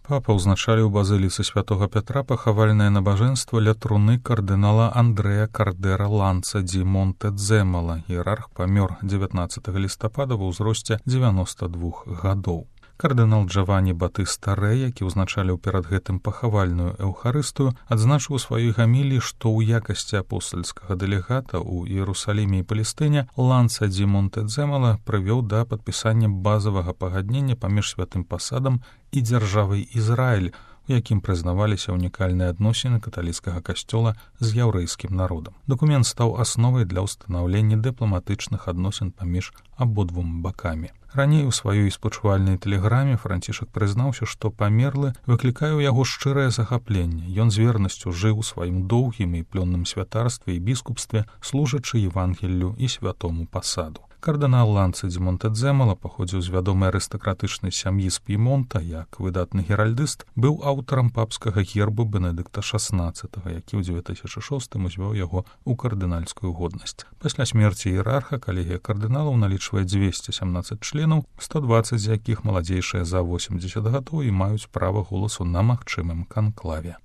Папа ўзначаліў базыліцы святога Пятра пахавальнае набажэнства ля труны кардынала Андрэя Кардера Ланца ді Монтэдземала. Іерарх памёр 19 лістапада ва ўзросце 92 гадоў. Кардынал Джавані Батыста Рэ, які ўзначаліў перад гэтым пахавальную эўхарыстыю, адзначыў у сваёй гаміліі, што ў якасці апостальскага дэлегата ў Іерусаліме і Палестыне Ланца ді Монтэдземала прывёў да падпісання базавага пагаднення паміж святым пасадам і дзяржавай Ізраіль, у якім прызнаваліся ўнікальныя адносіны каталіцкага касцёла з яўрэйскім народам. Дакумент стаў асновай для ўстанаўлення дыпламатычных адносін паміж абодвума бакамі. Раней у сваёй спачувальнай тэлеграме Францішак прызнаўся, што памерлы выклікае ў яго шчырае захапленне. Ён з вернасцю жыў у сваім доўгім і плённым святарстве і біскупстве, служачы Евангеллю і святому пасаду. Кардынал Ланца ді Монтэдземала паходзіў з вядомай арыстакратычнай сям'і з П'емонта, як выдатны геральдыст, быў аўтарам папскага гербу Бенедыкта XVI, які ў 2006 узвёў яго ў кардынальскую годнасць. Пасля смерці іерарха калегія кардыналаў налічвае 217 членаў, 120 з якіх маладзейшыя за 80 гадоў і маюць права голасу на магчымым канклаве.